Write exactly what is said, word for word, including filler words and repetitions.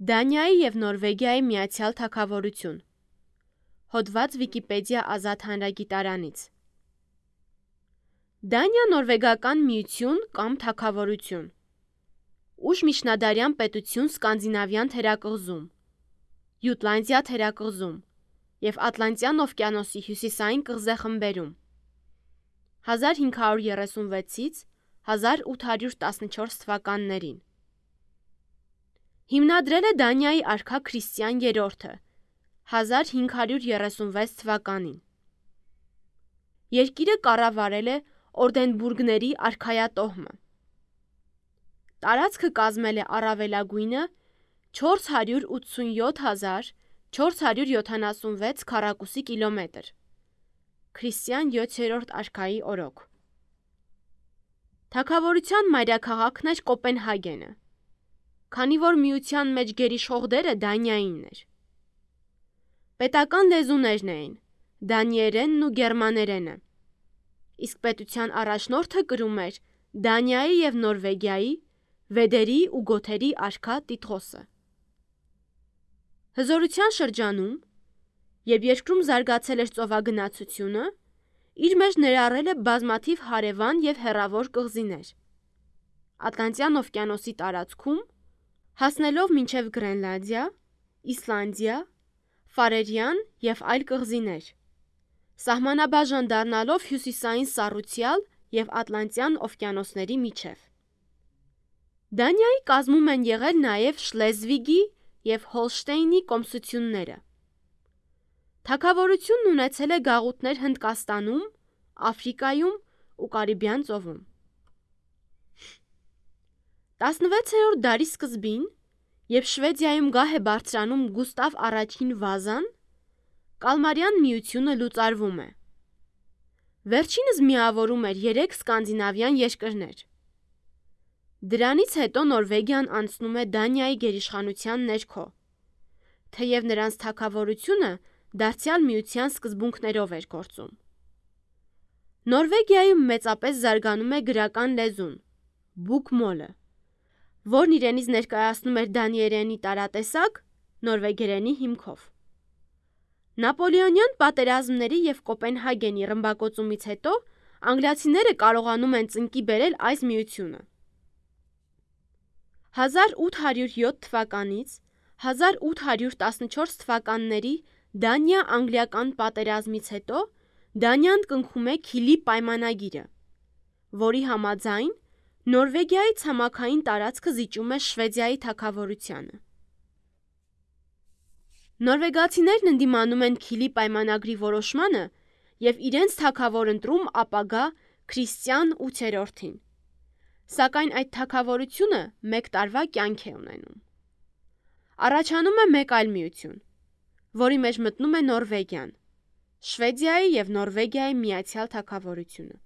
Դանիայի և Նորվեգիայի միացյալ թագավորություն։ Հոդված Վիկիպեդիա ազատ հանրագիտարանից։ Դանիա-նորվեգական միություն կամ թագավորություն։ Ուշմիջնադարյան պետություն Սկանդինավյան թերակղզում, Յուտլանդիա թերակղզում և Ատլանտյան օվկիանոսի հյուսիսային կղզեխմբերում հազար հինգ հարյուր երեսունվեցից հազար ութ հարյուր տասնչորս թվականներին։ Հիմնադրել է Դանիայի արքա Քրիստիան երրորդը հազար հինգ հարյուր երեսունվեց թվականին։ Երկիրը կառավարել է Օրդենբուրգների արքայատոհմը։ Տարածքը կազմել է առավելագույնը չորս հարյուր ութսունյոթ հազար չորս հարյուր յոթանասունվեց քառակուսի կիլոմետր։ Քրիստիան յոթերորդ արքայի օրոք։ Թագավորության մայրաքաղաքն էր Կոպենհագենը, քանի որ միության մեջ գերիշխող դերը Դանիայինն էր։ Պետական լեզուներն էին դանիերենն ու գերմաներենը, իսկ պետության առաջնորդը կրում էր Դանիայի և Նորվեգիայի, վեդերի ու գոթերի արքա տիտղոսը։ Հզորության շրջանում, երբ երկրում զարգացել էր ծովագնացությունը, իր մեջ ներառել է բազմաթիվ հարևան և հեռավոր կղզիներ։ Ատլանտյան օվկիանոսի տարածքում, հասնելով մինչև Գրենլանդիա, Իսլանդիա, Ֆարերյան և այլ կղզիներ, սահմանաբաժան դառնալով հյուսիսային Սառուցյալ և Ատլանտյան օվկիանոսների միջև։ Դանիայի կազմում են եղել նաև Շլեզվիգի և Հոլշտեյնի կոմսությունները։ Թագավորությունն ունեցել է գաղութներ Հնդկաստանում, Աֆրիկայում ու Կարիբյան ծովում։ տասնվեցերորդ դարի սկզբին, երբ Շվեդիայում գահ է բարձրանում Գուստավ առաջին Վազան, Կալմարյան միությունը լուծարվում է։ Վերջինս միավորում էր երեք սկանդինավյան երկրներ։ Դրանից հետո Նորվեգիան անցնում է Դանիայի գերիշխանության ներքո, թեև նրանց թագավորությունը դարձյալ միության սկզբունքներով էր գործում։ Նորվեգիայում մեծապես զարգանում է գրական լեզուն՝ բուկմոլը, որն իրենից ներկայացնում էր դանիերենի տարատեսակ՝ նորվեգերենի հիմքով։ Նապոլեոնյան պատերազմների և Կոպենհագենի ռմբակոծումից հետո անգլիացիները կարողանում են ծնկի բերել այս միությունը։ հազար ութ հարյուր յոթ թվականից հազար ութ հարյուր տասնչորս թվականների Դանիա-անգլիական պատերազմից հետո Դանիան կնքում է Քիլի պայմանագիրը, որի համաձայն Նորվեգիայի ցամաքային տարածքը զիջում է Շվեդիայի թագավորությանը։ Նորվեգացիներն ընդդիմանում են Քիլի պայմանագրի որոշմանը և իրենց թագավոր ընտրում ապագա Քրիստիան ութերորդին, սակայն այդ թագավորությունը մեկ տարվա կյանք է ունենում։ Առաջանում է մեկ այլ միություն, որի մեջ մտնում է Նորվեգիան՝ Շվեդիայի և Նորվեգիայի միացյալ թագավորությունը։